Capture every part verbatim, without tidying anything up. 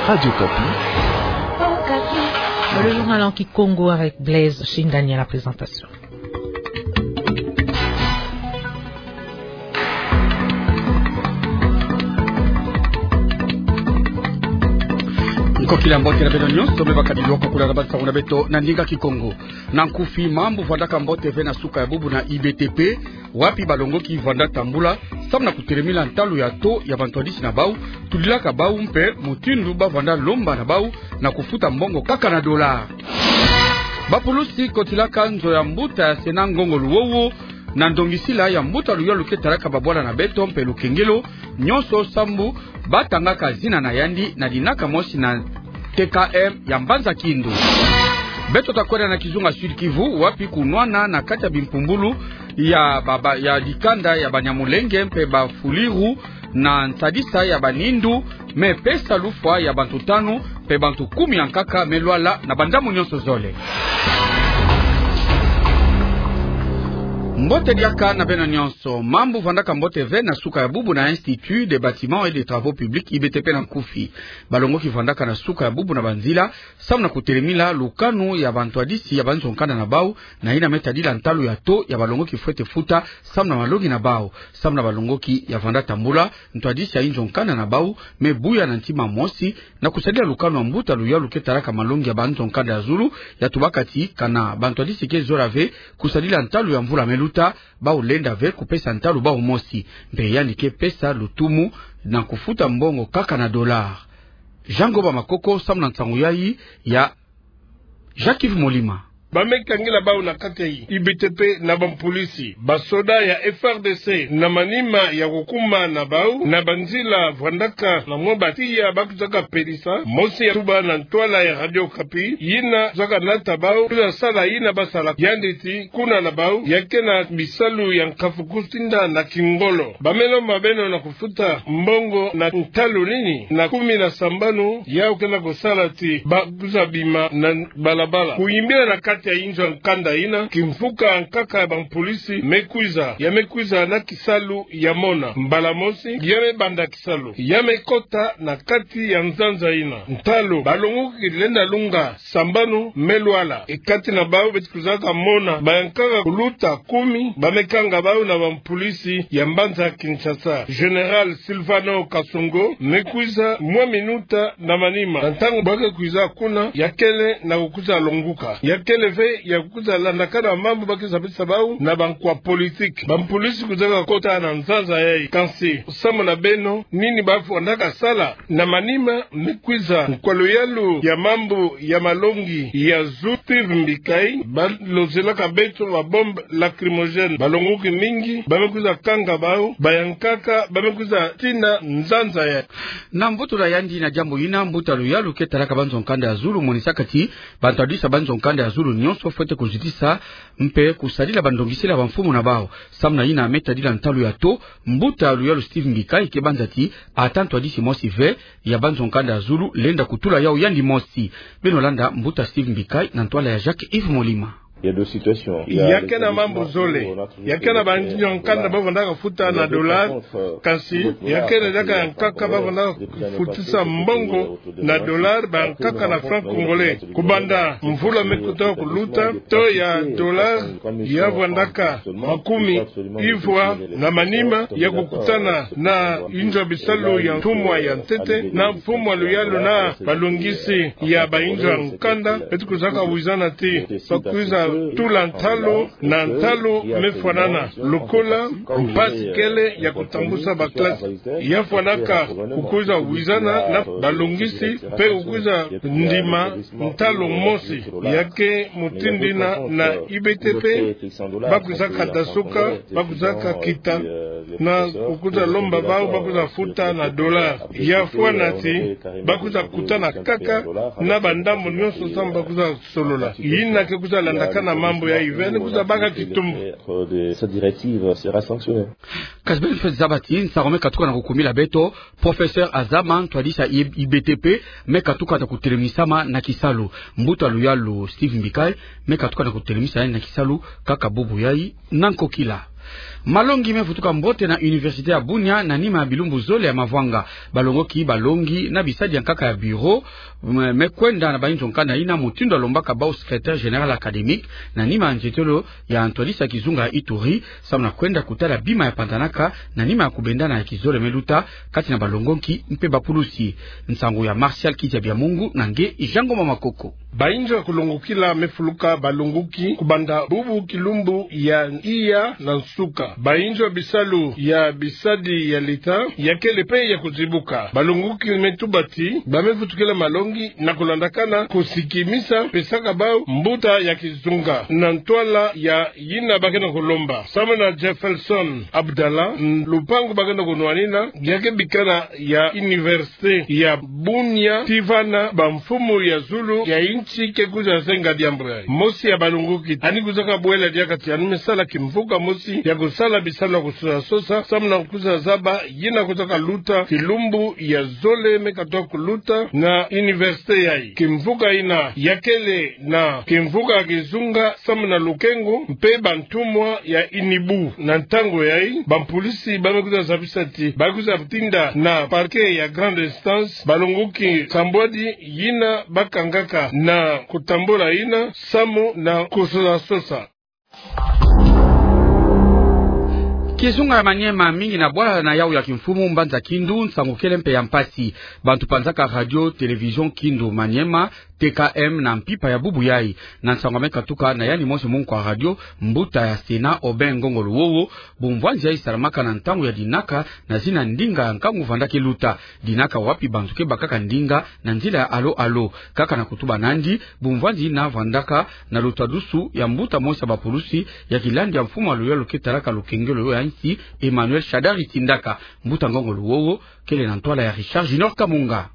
Radio Okapi. Le journal en kikongo avec Blaise Shingani à la présentation. Nkokila, mbote na beno nyonso, me bakadi lwaka kula na bansango na beto na ndinga kikongo. Na nkufi, mambu vandaka mbote ve na suka ya bubu na I B T P, wapi balongoki vanda tambula, samu na kutelemila ntalu ya taux ya bantwadisi na bau, tulilaka bau mpe mutindu bavanda lomba na bau na kufuta mbongo kaka na dollar. Bapulusi kotilaka nzo ya mbuta ya Sena Ngongo Luwowo, na ndongisila ya mbuta luyalu ke talaka babwala na beto mpe lukengelo, nyonso sambu batangaka zina na yandi na dinaka mosi na T K M ya mbanza Kindu. Beto takwenda na kizunga Sud-Kivu, wapi kunwana na kati ya bimpumbulu ya baba, ya dikanda ya Banyamulenge mpe Bafuliru na nsadisa ya banindu, me pesa lufwa ya bantu tanu, mpe bantu kumi ya nkaka me lwala na bandambu nyonso zole. Mbote diaka na beno nyonso. Mambu vandaka mbote ve na suka ya bubu na Institut des Bâtiments et des Travaux Publics, I B T P na nkufi. Balongoki vandaka na suka ya bubu na banzila, samu na kutelemila lukanu ya bantwadisi ya banzo-nkanda na bau, na yina me tadila ntalu ya taux ya balongoki fwete futa samu na malongi na bau. Samu na balongoki ya vanda tambula, ntwadisi ya inzo-nkanda na bau me buya na ntima mosi na kusadila lukanu ya mbuta luyalu ke talaka malongi ya banzo-nkanda ya zulu, ya tubaka ti kana bantwadisi ke zola ve kusadila ntalu ya mvula me luta, bau lenda ve kupesa ntalu bau mosi. Mpe yandi ke pesa lutumu na kufuta mbongo kaka na dollar. Jean Ngoba Makoko samu na nsangu yayi ya Jacques Yves Molima. Ba me kangila bau na kati ya I B T P na bampolisi, basoda ya F R D C, na manima ya kukuma na bau na banzila vandaka na mwa batiya ba kwizaka pelisa, mosi ya tuba na ntwala ya Radio Okapi, yina zaka nata bau kwiza sala yina ba sala, yandi ti kuna na bau ya ke na bisalu ya nkafu kusinda na kingolo. Ba me lomba beno na kufuta mbongo na ntalu nini? Na kumi na sambanu, yau ke na kusala ti ba kwiza bima na balabala. Kuyimbila na kati ya inzo ya nkanda yina, kimfuka ya nkaka ya bampolisi me kwiza, ya me kwiza na kisalu ya mona. Mbala mosi, ya me banda kisalu, ya me kota na kati ya nzanza yina. Ntalu balongoki lenda lunga sambanu me lwala. E kati na bau beti kwizaka mona bayankaka kuluta kumi, ba me kanga bau na bampolisi ya mbanza Kinshasa. Général Sylvano Kasongo me kwiza mwa minuta na manima. Na ntangu ba ke kwiza kuna, ya kele na kukwiza longuka. Ya kele ve ya kukwiza landakana mambu ba ke sapisa bau na bankwa politique. Bampolisi kwizaka kota na nzanza yayi. Kansi, samu na beno, nini ba vandaka sala? Na manima me kwiza nkwa luyalu ya mambu ya malongi ya zulu Steve Mbikayi, ba lozelaka beto ba bombe lacrymogène. Balongoki mingi, ba me kwiza kanga bau, bayankaka ba me kwiza tina nzanza yayi. Na mboto na yandi na diambu yina, mbuta luyalu ke talaka banzo-nkanda ya zulu monisaka ti bantwadisi ya banzo-nkanda ya zulu nyonso fwete kuzitisa mpe kusadila bandongisila ya bamfumu na bau. Samu na yina me tadila ntalu ya taux, mbuta luyalu Steve Mbikayi ke banza ti ata ntwadisi mosi ve ya banzo-nkanda ya zulu lenda kutula yau yandi mosi. Beno landa mbuta Steve Mbikayi na ntwala ya Jacques Yves Molima. Ya ke na mambu zole. Ya ke na banzo-nkanda ba vandaka futa na dollar, kansi ya ke na diaka yankaka ba vandaka futisa mbongo na dollar, bayankaka na franc congolais. Kubanda mvula me kota kuluta, taux ya dollar ya vandaka makumi ivwa na manima ya kukutana na inzo ya bisalu ya mfumwa ya ntete, na mfumwa luyalu na balongisi ya bainzo ya nkanda, beti kwizaka wizana ti ba kwiza tula ntalu na ntalu me fwanana. Lokola mpasi kele ya kutambusa ba classe, ya fwanaka kukwiza wizana na balongisi mpe kukwiza ndima ntalu mosi. Ya ke mutindu yina na I B T P ba kwizaka dasuka, ba kwizaka kita na kukwiza lomba bau ba kwiza futa na dollar. Ya fwana ti ba kwiza kutana kaka na bandambu nyonso samu ba kwiza solola. Yina ke kwiza landakana mambu yayi ve ni kwiza baka kitumbu. Kasi beno fwete zaba ti nsangu me katuka na kukumila beto, professeur Azama, ntwadisi ya I B T P, me katuka na kutelemisama na kisalu. Mbuta luyalu Steve Mbikayi me katuka na kutelemisa yandi na kisalu kaka bubu yayi na nkokila. Malongi me vutuka mbote na Université ya Bunia na nima ya bilumbu zole ya mavwanga. Balongoki balongi na bisadi ya nkaka ya bureau, me, me kwenda na bainzo nkanda ina mutindu alombaka bau secrétaire général académique, na nima ya nzietelo ya ntwadisi ya kizunga ya Ituri, samu na kwenda kutala bima ya panzanaka, na nima ya kubendana ya kizole me luta kati na balongoki mpe bapulusi. Nsangu ya Martial Kitia Biamungu na nge Jean Ngoma Makoko. Bainzo ya kulongokila me fuluka balongoki kubanda bubu kilumbu ya iya na nsuka. Bainzo ya bisalu ya bisadi ya leta ya kele mpe ya kuzibuka. Balongoki me tuba ti ba me vutukila malongi na kulandakana kusikimisa pesaka bau mbuta ya kizunga na ntwala ya yina ba kena kulomba. Samu na Jefferson Abdallah, lupangu ba kena kunwanina ya ke bikana ya université ya Bunia, ti vana bamfumu ya zulu ya insi ke kwiza senga diambu yayi. Mosi ya balongoki yandi kwizaka bwela diaka ti yandi me sala kimvuka mosi ya kusala bisalu ya kusosa-sosa, samu na kwiza zaba yina kwizaka luta kilumbu ya zole me katoa kuluta na université yayi. Kimvuka yina ya kele na kimvuka ya kizunga samu na lukengo mpe bantumwa ya inibu. Na ntangu yayi, bapulusi ba me kwiza zabisa ti ba kwiza tinda na parquet ya grande instance balongoki nsambwadi yina ba kangaka na kutambula yina samu na kusosa-sosa. Kizunga ya Maniema mingi na bwala na yau ya kimfumu mbanza Kindu, nsangu kele mpe ya mpasi. Bantu panzaka radio télévision Kindu Maniema, T K M, na mpimpa ya bubu yayi. Na nsangu ya me katuka na yandi mosi munkwa radio, mbuta ya Sénat Aubin Ngongo Luowo, bumvwanzi yayi salamaka na ntangu ya dinaka na zina ndinga ya nkangu vanda ke luta. Dinaka wapi bantu ke bakaka ndinga na nzila ya alo-alo. Kaka na kutuba na yandi, bumvwanzi yina vandaka na lutadusu ya mbuta mosi ya bapulusi ya kilandi ya mfumu ya luyalu ke talaka lukengelo ya insi, Emmanuel Shadary Tindaka. Mbuta Ngongo Luowo kele na ntwala ya Richard Junior Kamunga.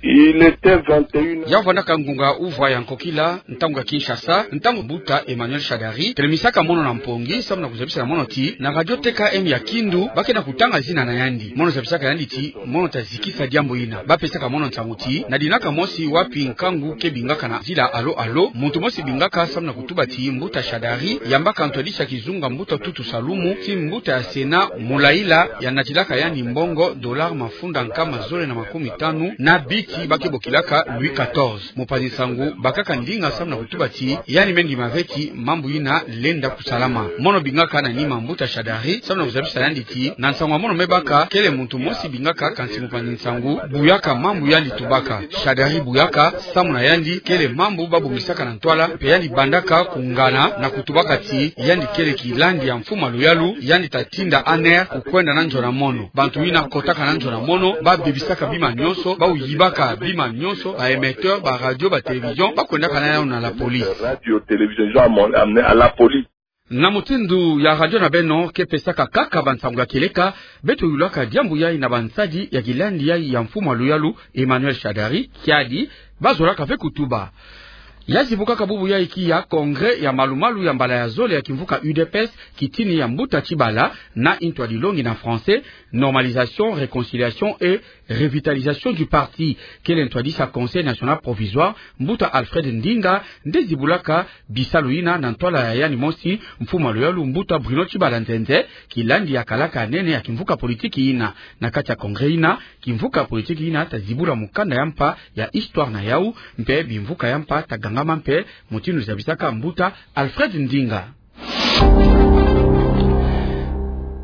Il était vingt et une heures. Ya vandaka ngunga uvwa ya nkokila, ntangu ya Kinshasa, ntangu mbuta Emmanuel Shadary telemisaka mono na mpongi, samu na kuzabisa na mono ti na radio T K M ya Kindu ba kena kutanga zina na yandi. Mono zabisaka yandi ti mono ta zikisa diambu yina. Ba pesaka mono nsangu ti na dinaka mosi wapi nkangu ke bingaka na nzila alo-alo, muntu mosi bingaka samu na kutuba ti mbuta Shadary yambaka ntwadisi ya kizunga mbuta Tutu Salumu, ti mbuta ya Sénat Mulayila ya natilaka yandi mbongo dollar mafunda nkama zole na makumi tanu na biti ba ke bokilaka Louis quatorze. Mupanzi nsangu bakaka ndinga samu na kutuba ti yandi me ndima ve ti mambu yina lenda kusalama. Mono bingaka na nima mbuta Shadary samu na kuzabisa yandi ti na nsangu ya mono me baka kele muntu mosi bingaka, kansi mupanzi nsangu buyaka mambu yandi tubaka. Shadary buyaka samu na yandi kele mambu ba bongisaka na ntwala, mpe yandi bandaka kungana na kutubaka ti yandi kele kilandi ya mfumu ya luyalu, yandi ta tinda A N R kukwenda na nzo na mono. Bantu yina kotaka na nzo na mono ba bebisaka bima nyonso, ba yibaka bima nyonso, ba émetteur, ba radio, ba télévision, ba kwendaka na yau na la police. Radio, télévision, ils ont amené à la police. Na mutindu ya radio na beno ke pesaka kaka bansangu ya kieleka, beto yulaka diambu yayi na bansadi ya kilandi yayi ya mfumu ya luyalu Emmanuel Shadary, kiadi ba zolaka ve kutuba. Ya zibukaka bubu yayi kiya congrès ya malu-malu ya mbala ya zole ya kimvuka U D P S, kitini ya mbuta Tshibala, na ntwadilongi na français, normalisation, réconciliation et revitalisation du parti, kele ntwadisi ya Conseil national provisoire, mbuta Alfred Ndinga nde zibulaka bisalu yina na ntwala ya yandi mosi mfumu ya luyalu mbuta Bruno Tshibala Nzenze, kilandi ya kalaka ya nene ya kimvuka politiki yina. Na kati ya congrès yina, kimvuka politiki yina ta zibula mukanda ya mpa ya histoire na yau, mpe bimvuka ya mpa ta gangama mpe, mutindu zabisaka mbuta Alfred Ndinga.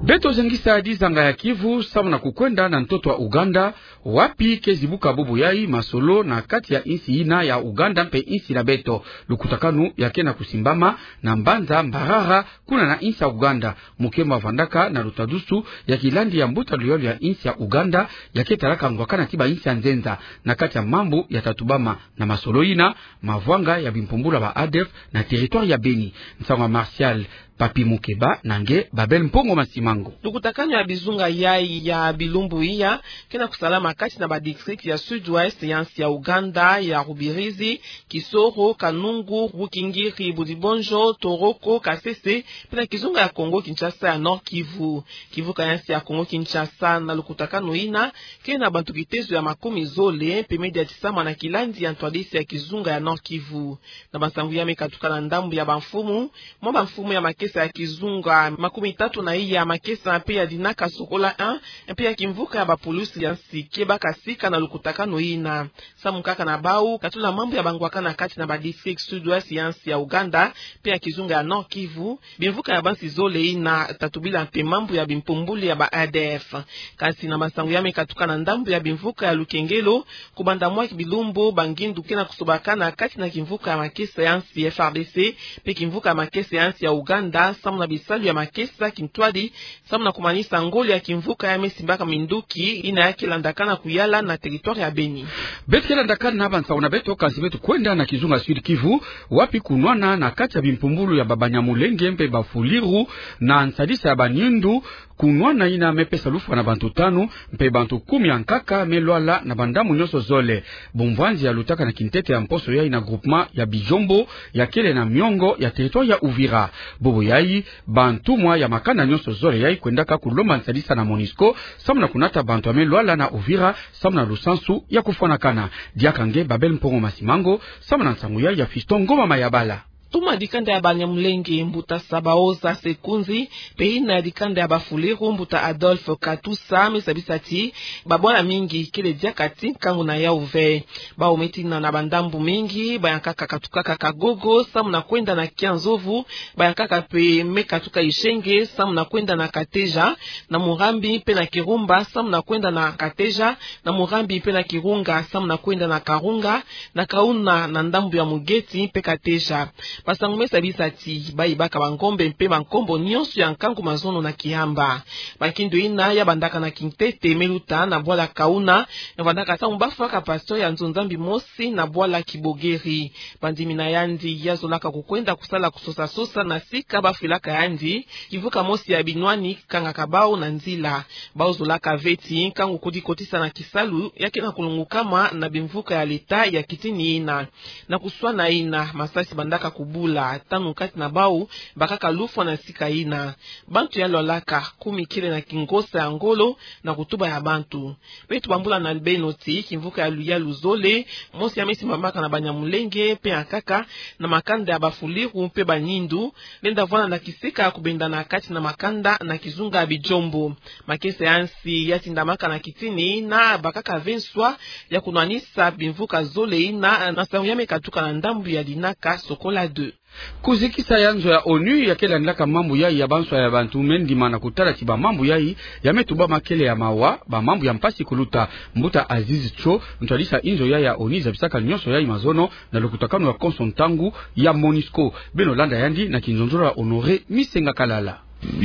Beto zengisa dizanga ya Kivu samu na kukwenda na ntoto wa Ouganda, wapi ke zibuka bubu yayi masolo na kati ya insi yina ya Ouganda mpe insi na beto. Lukutakanu ya ke na kusimbama na mbanza Mbarara, kuna na insi ya Ouganda. Mukemba vandaka na lutadusu ya kilandi ya mbuta luyalu ya insi ya Ouganda, ya ke talaka ngwakana ti bainsi ya nzenza na kati ya mambu ya ta tubama na masolo yina, mavwanga ya bimpumbulu ya ba A D F na territoire ya Beni. Nsangu ya Martial Papi Mukeba na nge Babel Mpongo Masimango. Lukutakanu ya bizunga yayi ya bilumbu iya ke na kusalama kati na ba district ya Sud-Ouest ya insi ya Ouganda, ya Rubirizi, Kisoro, Kanungu, Rukungiri, Budibondjo, Toroko, Kasese, mpe na kizunga ya Kongo Kinshasa ya Nord-Kivu. Kimvuka ya insi ya Kongo Kinshasa na lukutakanu yina ke na bantu kitezo ya makumi zole mpe me diatisama na kilandi ya ntwadisi ya kizunga ya Nord-Kivu. Na bansangu ya me katuka na ndambu ya bamfumu, mwa bamfumu ya make makesa ya kizunga makumi tatu na iya makesa mpe ya dinaka Sokola un, mpe ya kimvuka ya bapulusi ya nsi kebaka sika na lukutakanu yina. Samu kaka na bau, katula mambu ya bangwakana kati na badistrict Sud-Ouest ya nsi ya Ouganda, mpe ya kizunga ya Nord-Kivu, bimvuka ya bansi zole yina tatubila mpe mambu ya bimpumbulu ya ba A D F. Kansi na masangu ya me katuka na ndambu ya bimvuka ya Lukengelo, kubanda mwa bilumbu bangindu ke na kusobakana kati na kimvuka ya makesa ya nsi F A R D C, mpe kimvuka ya makesa ya nsi ya Ouganda, samu na bisalu ya makesa kintwadi, samu na kumanisa ngoli ya kimvuka ya me simbaka minduki yina ya ke landakana kuyala na territoire ya Beni. Beto ke landakana na bansangu na beto, kansi beto kwenda na kizunga Sud-Kivu, wapi kunwana na kati ya bimpumbulu ya ba Banyamulenge mpe ba Fuliru, na nsadisa ya banindu, kunwana yina me pesa lufwa na bantu tanu, mpe bantu kumi ya nkaka me lwala na bandambu nyonso zole. Bumvwanzi ya lutaka na kintete ya mposo yayi na groupement ya Bijombo, ya kele na miongo ya territoire ya Uvira. Bobo yayi, bantumwa ya makanda nyonso zole yayi kwendaka kulomba nsadisa na MONUSCO, samu na kunata bantu ya me lwala na Uvira, samu na lusansu ya kufwanakana. Diaka nge Babel Mpongo Masimango, samu na nsangu yayi ya Fiston Ngoma Mayabala. Toma dikanda ya Banyamulenge, mbuta Sabaoza Sekunzi, mpe yina ya dikanda ya ba Fuliru, mbuta Adolphe Katusa, me sabisa ti babwala mingi kele diaka ti nkangu na yawu ve. Bau me tina na bandambu mingi, bayankaka katukaka Kagogo, samu na kwenda na Kianzovu, bayankaka mpe me katuka Isenge, samu na kwenda na Kateja, na Murambi mpe na Kirumba, samu na kwenda na Kateja, na Murambi mpe na Kirunga, samu na kwenda na Karunga, na Kauna, na ndambu ya Mugeti mpe Kateja. Bansangu me sabisa ti bayibaka bangombe mpe bankombo nyonso ya nkangu mazono na Kihamba. Bankindu yina ya bandaka na kintete me luta na bwala Kauna, ya vandaka samu bafwaka pasteur ya nzo-Nzambi mosi na bwala Kibogeri. Bandimi na yandi ya zolaka kukwenda kusala kusosa-sosa na sika bafwilaka yandi, kimvuka mosi ya binwani kangaka bau na nzila. Bau zolaka ve ti nkangu kudikotisa na kisalu ya ke na kulungukama na bimvuka ya leta ya kitini yina. Na kuswana yina, masasi bandaka kubula, tanu kati na bau bakaka lufwa na sika yina. Bantu ya lwalaka, kumi kele na kingosa ya ngolo na kutuba ya bantu. Beto bambula na beno ti kimvuka ya luyalu zole, mosi ya me simbamaka na Banyamulenge mpe yankaka, na makanda ya ba Fuliru mpe banindu, lenda vwanda na kisika ya kubendana kati na makanda na kizunga ya Bijombo. Makesa ya nsi ya tindamaka na kitini yina bakaka ve nswa ya kunwanisa bimvuka zole yina na nsangu ya me katuka na ndambu ya dinaka Sokola deux. Kuzikisa ya nzo ya ONU ya ke landilaka mambu yayi ya banswa ya bantu me ndima na kutala ti bamambu yayi ya me tubama kele ya mawa, bamambu ya mpasi kuluta. Mbuta Aziz Cho, ntwadisa inzo yayi ya ONU zabisaka nyonso yayi mazono na lukutakanu ya konso ntangu ya MONUSCO. Beno landa yandi na kinzonzolo ya Honoré Misenga Kalala.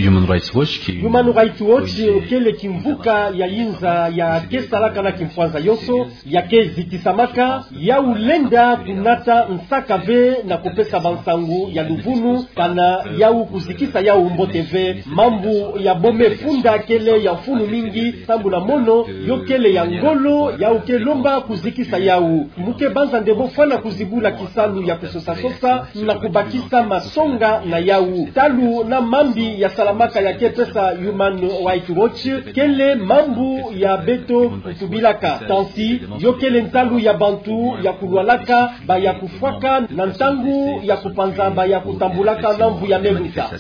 Human Rights Watch ki- Human Rights Watch kele kimvuka ya yinza ya ke salaka na kimpwanza yonso, ya ke zikisamaka, yawu lenda kunata nsaka ve na kupesa bansangu ya luvunu, kana yawu kuzikisa yawu mbote ve. Mambu ya bo me funda kele ya mfunu mingi, sambu na mono yo kele ya ngolo, yawu ke lomba kuzikisa yawu. Mu ke banza nde bo fwana kuzibula kisalu ya kusosa-sosa na kubakisa masonga na yawu. Ntalu na mambi ya salamaka ya ke pesa Human Rights Watch, kele mambu ya beto kutubilaka. Kansi, yo kele ntalu ya bantu ya kulwalaka, ba ya kufwaka, na ntangu ya kupanza ba ya kutambulaka na mvu ya me luta.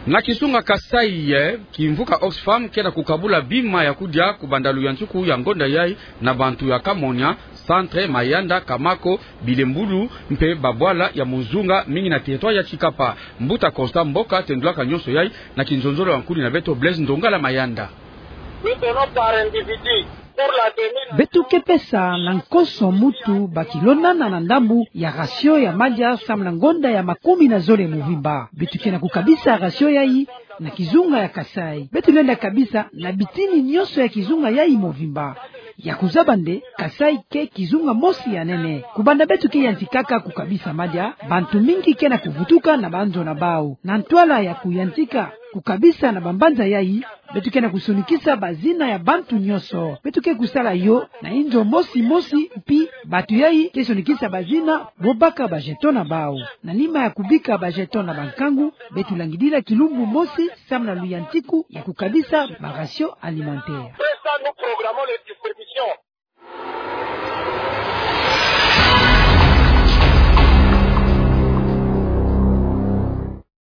Na kizunga Kasaï, eh, kimvuka Oxfam ke na kukabula bima ya kudia kubanda luyantiku ya ngonda yayi na bantu ya Kamonia, Centre, Mayanda, Kamako, Bilembulu, mpe babwala ya Muzunga, mingi na territoire ya Tshikapa. Mbuta Constant Mboka tendulaka nyonso yayi na kinzonzolo ya nkudi na beto Blaise Ndongala Mayanda. Beto ke pesa na nkonso mutu ba kilo nana na ndambu ya ration ya madia samu na ngonda ya makumi na zole movimba. Beto ke na kukabisa ration yayi na kizunga ya Kasaï. Beto lenda kabisa na bitini nyonso ya kizunga yayi movimba. Ya kuzaba nde, Kasaï ke kizunga mosi ya nene. Kubanda beto ke yantikaka kukabisa madia, bantu mingi ke na kuvutuka na banzo na bawu. Na ntwala ya kuyantika kukabisa na bambanza yayi, beto ke na kusonikisa bazina ya bantu nyonso. Beto ke kusala yo na inzo mosi mosi, mpi bantu yayi ke sonikisa bazina bo baka ba jeton na bawu. Na nima ya kubika ba jeton na bankangu, beto langidila kilumbu mosi samu na luyantiku ya kukabisa ba ration alimentaire. Après ça, nous programmons les distributions.